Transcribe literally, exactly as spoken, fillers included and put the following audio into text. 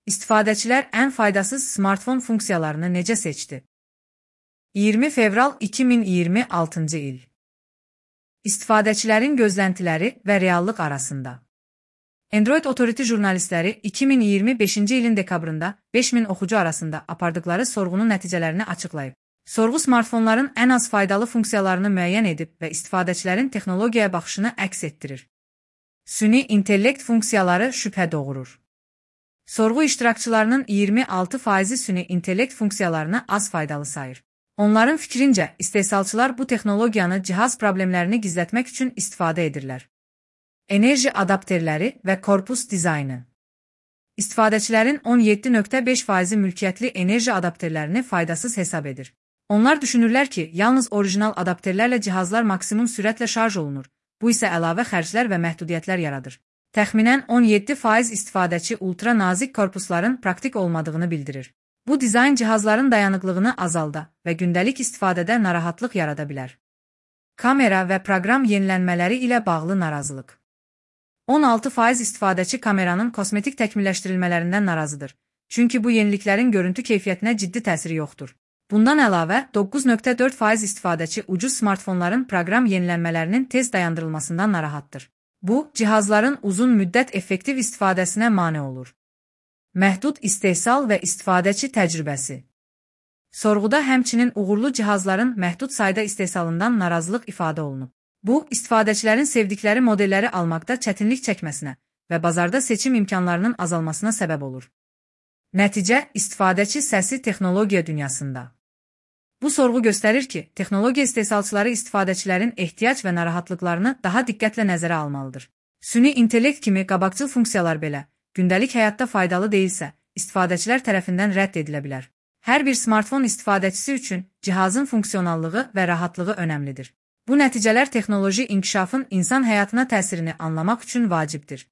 İstifadəçilər ən faydasız smartfon funksiyalarını necə seçdi? iyirmi fevral iki min iyirmi altıncı il. İstifadəçilərin gözləntiləri və reallıq arasında. Android Authority jurnalistləri iki min iyirmi beşinci ilin dekabrında beş min oxucu arasında apardıqları sorğunun nəticələrini açıqlayıb. Sorğu smartfonların ən az faydalı funksiyalarını müəyyən edib və istifadəçilərin texnologiyaya baxışını əks etdirir. Süni intellekt funksiyaları şübhə doğurur. Sorğu iştirakçılarının iyirmi altı faizi süni intellekt funksiyalarını az faydalı sayır. Onların fikrincə, istehsalçılar bu texnologiyanı cihaz problemlərini gizlətmək üçün istifadə edirlər. Enerji adapterləri və korpus dizaynı. İstifadəçilərin on yeddi nöqtə beş faizi mülkiyyətli enerji adapterlərini faydasız hesab edir. Onlar düşünürlər ki, yalnız orijinal adapterlərlə cihazlar maksimum sürətlə şarj olunur. Bu isə əlavə xərclər və məhdudiyyətlər yaradır. Təxminən on yeddi faiz istifadəçi ultra nazik korpusların praktik olmadığını bildirir. Bu dizayn cihazların dayanıqlığını azalda və gündəlik istifadədə narahatlıq yarada bilər. Kamera və proqram yenilənmələri ilə bağlı narazılıq. on altı faiz istifadəçi kameranın kosmetik təkmilləşdirilmələrindən narazıdır. Çünki bu yeniliklərin görüntü keyfiyyətinə ciddi təsiri yoxdur. Bundan əlavə, doqquz nöqtə dörd faiz istifadəçi ucuz smartfonların proqram yenilənmələrinin tez dayandırılmasından narahatdır. Bu, cihazların uzun müddət effektiv istifadəsinə mane olur. Məhdud istehsal və istifadəçi təcrübəsi. Sorğuda həmçinin uğurlu cihazların məhdud sayda istehsalından narazılıq ifadə olunub. Bu, istifadəçilərin sevdikləri modelləri almaqda çətinlik çəkməsinə və bazarda seçim imkanlarının azalmasına səbəb olur. Nəticə, istifadəçi səsi texnologiya dünyasında. Bu sorğu göstərir ki, texnologiya istehsalçıları istifadəçilərin ehtiyac və narahatlıqlarını daha diqqətlə nəzərə almalıdır. Süni intellekt kimi qabaqcıl funksiyalar belə, gündəlik həyatda faydalı deyilsə, istifadəçilər tərəfindən rədd edilə bilər. Hər bir smartfon istifadəçisi üçün cihazın funksionallığı və rahatlığı önəmlidir. Bu nəticələr texnoloji inkişafın insan həyatına təsirini anlamaq üçün vacibdir.